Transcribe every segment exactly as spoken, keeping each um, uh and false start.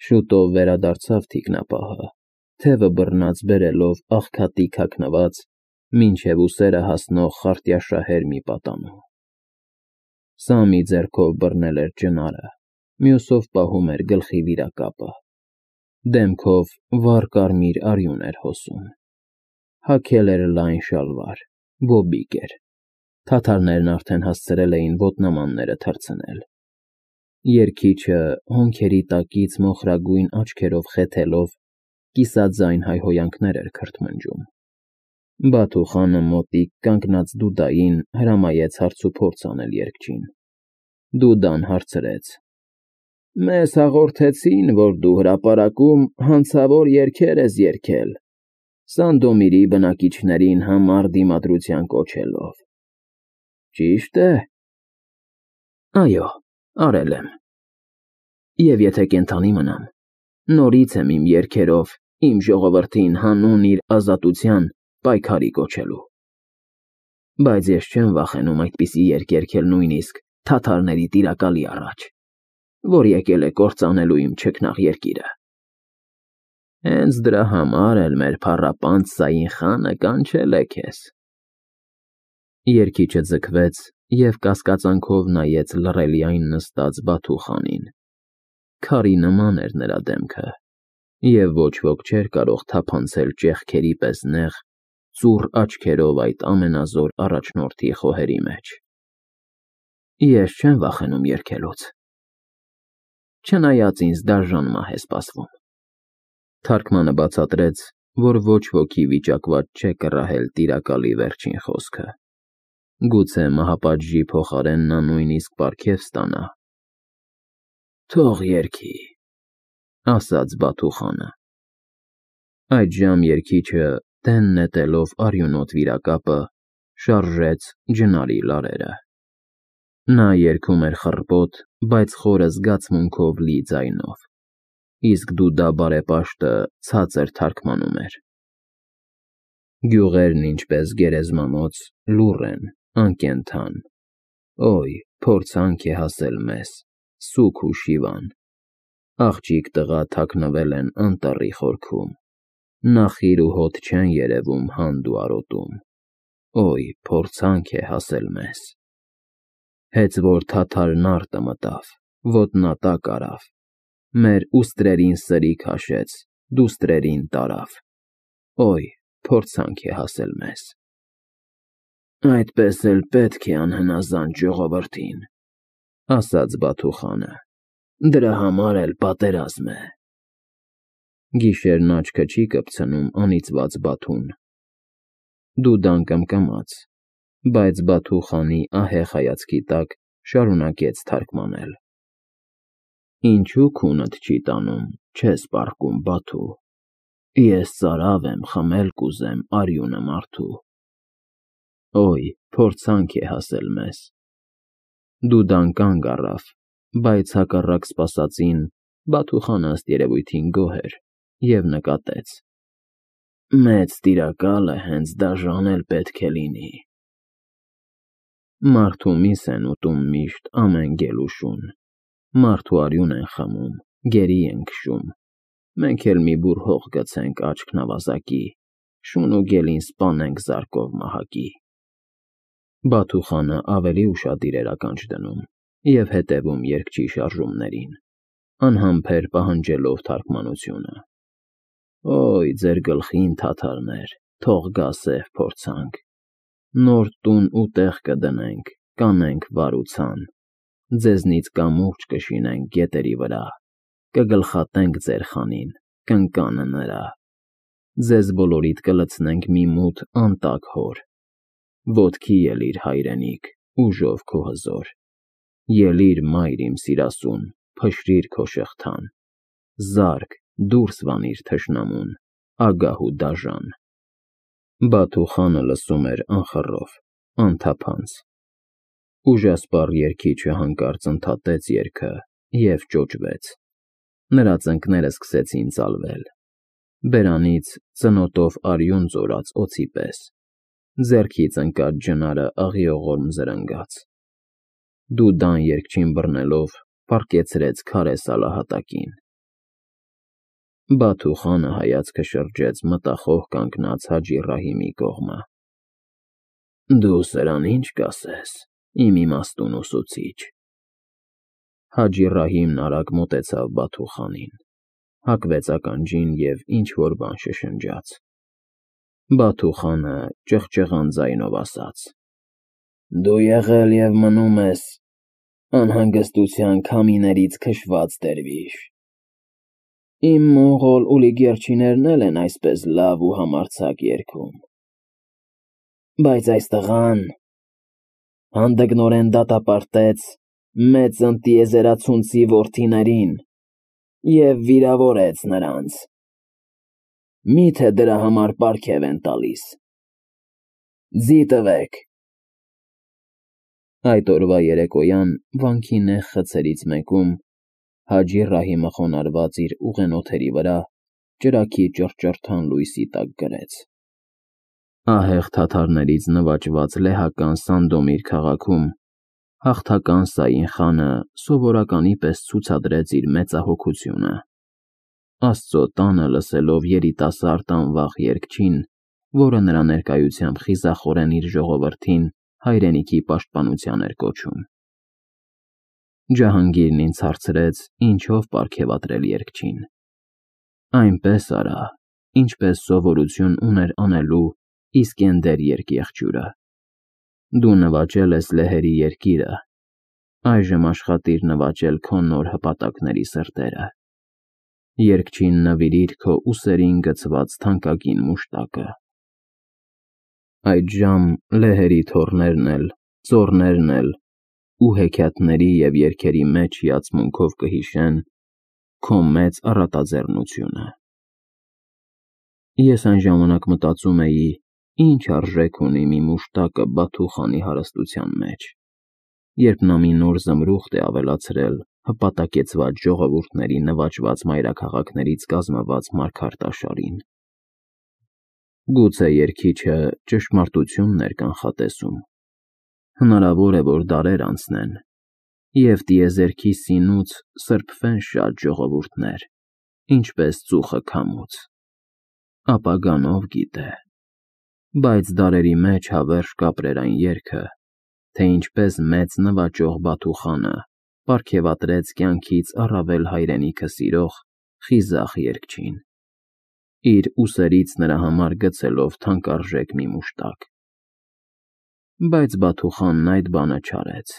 Շուտով վերադարձավ թիկնապահը, թևը բռնած բերելով աղքատի քաքնված, մինչև ուսերը հասնող խարտյաշահեր մի պատանու։ Սամի ձեռքով բռնել էր ճնարը, մյուսով պահում էր գլխի վիրակապը, դեմքով վառ կարմիր արյուն էր հոսում, հագել էր լայն շալվար, բոբիկ էր, թաթարներն արդեն հասցրել էին ոտնամանները թռցնել։ Երգիչը հոնքերի տակից մոխրագույն աչքերով խեթելով կիսաձայն հայհոյանքներ էր քրթմնջում։ Բաթուխանը մոտիկ կանգնած Դուդային հրամայեց հարցուփորձ անել երգչին։ Դուդան հարցրեց. «Մեզ հաղորդեցին, որ դու հրապարակում հանցավոր երգեր ես երգել, Սանդոմիրի բնակիչներին համառ դիմադրության կոչելով, ճի՞շտ է»։ «Այո, արել եմ։ Եվ եթե կենդանի մնամ, նորից եմ իմ երգերով իմ ժողովրդին հանուն իր ազատության պայքարի կոչելու։ Բայց ես չեմ վախենում այդպիսի երգ երգել նույնիսկ թաթարների տիրակալի առաջ, որ եկել է կործանելու իմ չքնաղ երկիրը։ Հենց դրա համար էլ մեր փառապանծ Սային խանը կանչել է քեզ»։ Երգիչը ձգվեց և կասկածանքով նայեց լռելիայն նստած Բաթուխանին։ Քարի նման էր նրա դեմքը, և ոչ ոք չէր կարող թափանցել ճեղքերի պես նեղ, ծուռ աչքերով այդ ամենազոր առաջնորդի խոհերի մեջ։ Ես չեմ վախենում երգելուց, չնայած ինձ դաժան մահ է սպասվում։ Թարգմանը բացատրեց, որ ոչ ոքի վիճակված չէ կռահել տիրակալի վերջին խոսքը։ Գուցե մահապատժի փոխարեն նա նույնիսկ պարգև ստանա։ «Թող երգի», ասաց Բաթուխանը։ Այդժամ երգիչը, դեն նետելով արյունոտ վիրակապը, շարժեց ջնարի լարերը։ Նա երգում էր խռպոտ, բայց խորը զգացմունքով լի ձայնով, իսկ Դուդա բարեպաշտը ցածր թարգմանում էր. Գյուղերն ինչպես գերեզմանոց լուռ են, անկենդան, Օй, փորձանք է հասել մեզ, սուգ ու շիվան, Աղջիկ տղա թաքնվել են անտառի խորքում, Նախիր ու հոտ չեն երևում հանդ ու արոտում, Օй, փորձանք է հասել մեզ։ Հեց որ թաթար նարտը մտավ, ոտնատակ արավ, Մեր ուստրերին սրի քաշեց, դուստրերին տարավ, Օy, փորձանք է հասել մեզ։ Այդպես էլ պետք է անհնազանդ ժողովրդին, ասաց Բաթուխանը, դրա համար էլ պատերազմ է։ Գիշերն աչքը չի կպցնում անիծված Բաթուն։ Դուդան կմկմաց, բայց Բաթուխանի ահեղ հայացքի տակ շարունակեց թարգմանել. Ինչու քունդ չի տանում, չես պառկում, Բաթու, Ես ծարավ եմ, խմել կուզեմ արյունը մարդու, Օy, փորձանք է հասել մեզ։ Դուդան կանգ առավ, բայց հակառակ սպասածին Բաթուխանը ըստ երևույթին գոհ էր և նկատեց. Մեծ տիրակալը հենց դաժան էլ պետք է լինի։ Մարդու միս են ուտում միշտ ամեն գելուշուն, Մարդու արյուն են խմում, գերի են քշում, Մենք էլ մի բուռ հող գցենք աչքն ավազակի, Շուն ու գելին սպանենք զարկով մահակի։ Բաթուխանը ավելի ուշադիր էր ականջ դնում և հետևում երգչի շարժումներին, Անհամբեր պահանջելով թարգմանությունը։ Օй, ձեր գլխին թաթարներ, թող գա սև փորձանք, Նոր տուն ու տեղ կդնենք, կանենք վար ու ցան, Ձեզնից կամուրջ կշինենք գետերի վրա, Կգլխատենք ձեր խանին, կընկանը նրա, Ձեզ բոլորիդ կլցնենք մի մութ անտակ հոր, Ոտքի ելիր հայրենիք, ուժով քո հզոր, Ելիր մայր իմ սիրասուն, փշրիր քո շղթան, Զարկ, դուրս վանիր թշնամուն, ագահ ու դաժան։ Բաթուխանը լսում էր անխռով, անթափանց։ Ուժասպառ երգիչը հանկարծ ընդհատեց երգը և ճոճվեց։ Նրա ծնկները սկսեցին ծալվել, բերանից ծնոտով արյուն ձորած օձի պես, ձեռքից ընկած ջնարը աղիողորմ զրնգաց։ Դուդան երգչին բռնելով պառկեցրեց քարե սալահատակին։ Բաթու խանը հայացքը շրջեց մտախոհ կանգնած Հաջի Ռահիմի կողմը։ Դու սրան ինչ կասես, իմ իմաստուն ուսուցիչ։ Հաջի Ռահիմն արագ մոտեցավ Բաթու խանին, հակվեց ականջին և ինչ-որ բան շշնջաց։ Բաթու խանը ճղճղան ձայնով ասաց. Դու եղել և մնում ես անհանգստության քամիներից քշված դերվիշ։ Իմ մոնղոլ ուլիգերջիներն էլ են այսպես լավ ու համարձակ երգում։ Բայց այս տղան հանդգնորեն դատապարտեց մեծ ընտիեզերացունցի որդիներին և վիրավորեց նրանց։ Մի՞թե դրա համար պարգև են տալիս։ Ձի տվեք։ Այդ օրվա երեկոյան վանքի նեղ խցերից մեկում Հաջի Ռահիմը խոնարհված իր ուղենոթերի վրա ճրագի ճռճռթան լույսի տակ գրեց. Ահեղ թաթարներից նվաճված լեհական Սանդոմիր քաղաքում հաղթական Սաին խանը սովորականի պես ցուցադրեց իր մեծահոգությունը, Աստծո տանը լսելով երիտասարդ անվախ երգչին, որը նրա ներկայությամբ խիզախորեն իր ժողովրդին հայրենիքի պաշտպանության էր կոչում։ Ջահանգիրն ինձ հարցրեց, ինչով պարգևատրել երգչին։ Այնպես արա, ինչպես սովորություն ուներ անելու Իսկենդեր երկեղջյուրը։ Դու նվաճել ես լեհերի երկիրը, այժմ աշխատիր նվաճել քո նոր հպատակների սրտերը։ Երգչին նվիրիր քո ուսերին գցված թանկագին մուշտակը։ Այդժամ լեհերի թոռներն էլ, ծոռներն էլ ու հեքիաթների և երգերի մեջ հիացմունքով կհիշեն քո մեծ առատաձեռնությունը։ Ես այն ժամանակ մտածում էի, ինչ արժեք ունի մի մուշտակը Բաթու խանի հարստության մեջ, երբ նա մի նոր զմրուխտ է ավելացրել հպատակեցված ժողովուրդների նվաճված մայրաքաղաքներից կազմված մարգարտաշարին։ Գուցե երգիչը ճշմարտությունն էր կանխատեսում։ Հնարավոր է, որ դարեր անցնեն, և տիեզերքի սինուց սրբվեն շատ ժողովուրդներ, ինչպես ծուխը քամուց։ Ապագան ով գիտե։ Բայց դարերի մեջ հավերժ կապրեր այն երգը, թե ինչպես մեծ նվաճող Բաթու խանը պարգևատրեց կյանքից առավել հայրենիքը սիրող խիզախ երգչին, իր ուսերից նրա համար գցելով թանկարժեք մի մուշտակ։ Բայց Բաթու խանն այդ բանը չարեց,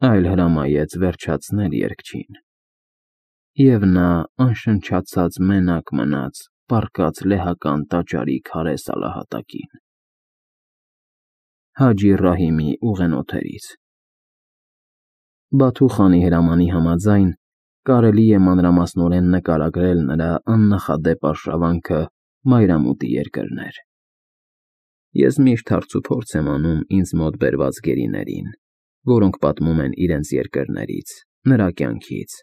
այլ հրամայեց վերջացնել երգչին, և նա անշնչացած մենակ մնաց պառկած լեհական տաճարի քարե սալահատակին։ Հաջի Ռահիմի ուղենոթերից։ Բաթու խանի հրամանի համաձայն կարելի է մանրամասնորեն նկարագրել նրա աննախադեպ արշավանքը մայրամուտի երկրներ։ Ես միշտ հարցուփորձ եմ անում ինձ մոտ բերված գերիներին, որոնք պատմում են իրենց երկրներից, նրա կյանքից,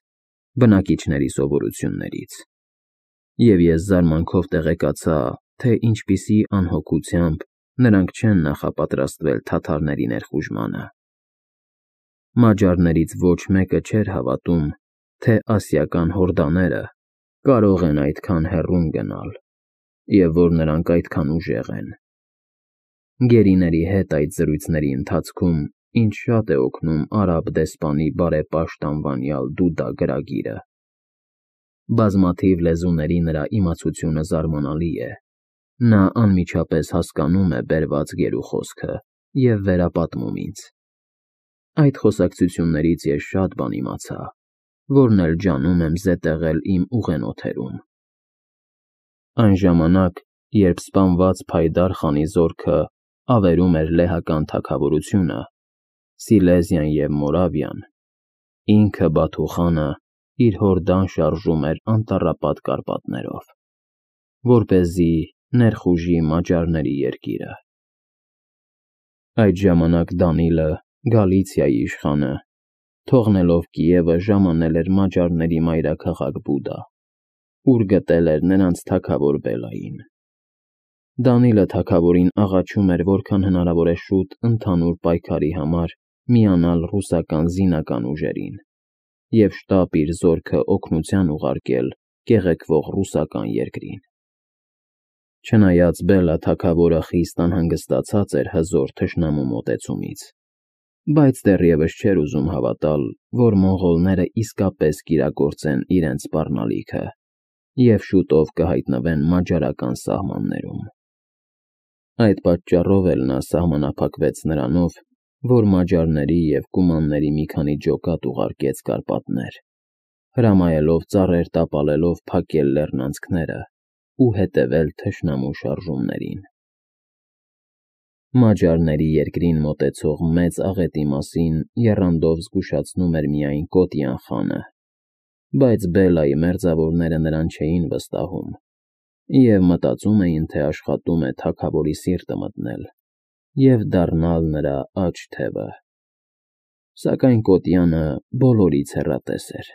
բնակիչների սովորություններից, և ես զարմանքով տեղեկացա, թե ինչպիսի անհոգությամբ նրանք չեն նախապատրաստվել թաթարների ներխուժմանը։ Մաջարներից ոչ մեկը չէր հավատում, թե ասիական հորդաները կարող են այդքան հեռուն գնալ, և որ նրանք այդքան ուժեղ են։ Գերիների հետ այդ զրույցների ընթացքում ինձ շատ է օգնում արաբ դեսպանի բարեպաշտ անվանյալ Դուդա գրագիրը։ Բազմաթիվ լեզուների նրա իմացությունը զարմանալի է, նա անմիջապես հասկանում է բերված գերուխոսքը և վերապատմում ինձ։ Այդ խոսակցություններից ես շատ բան իմացա, որն էլ ջանում եմ զետեղել իմ ուղենոթերում։ Այն ժամանակ, երբ սպանված Փայդար խանի զորքը ավերում էր լեհական թագավորությունը, Սիլեզիան և Մորավիան, ինքը Բաթու խանը իր հորդան շարժում էր անտառապատ Կարպատներով, որպեսզի ներխուժի մաջարների երկիրը։ Այդ ժամանակ Դանիլը, Գալիցիայի իշխանը, թողնելով Կիևը, ժամանել էր մաջարների մայրաքաղաք Բուդա, ուր գտել էր նրանց թագավոր Բելային։ Դանիլը թագավորին աղաչում էր որքան հնարավոր է շուտ ընդհանուր պայքարի համար միանալ ռուսական զինական ուժերին և շտապ իր զորքը օգնության ուղարկել կեղեքվող ռուսական երկրին։ Չնայած Բելլա թագավորը խիստ անհանգստացած էր հզոր թշնամու մոտեցումից, բայց դեռևս չէր ուզում հավատալ, որ մոնղոլները իսկապես կիրագործեն իրենց սպառնալիքը և շուտով կհայտնվեն մաջարական սահմաններում։ Այդ պատճառով էլ նա սահմանափակվեց նրանով, որ մաջարների և կումանների մի քանի ջոկատ ուղարկեց Կարպատներ, հրամայելով ծառեր տապալելով փակել լեռնանցքները ու հետևել թշնամու շարժումներին։ Մաջարների երկրին մոտեցող մեծ աղետի մասին եռանդով զգուշացնում էր միայն Կոտյան խանը, բայց Բելլայի մերձավորները նրան չէին վստահում և մտածում էին, թե աշխատում է թագավորի սիրտը մտնել և դառնալ նրա աջ թևը։ Սակայն Կոտյանը բոլորից հեռատես էր։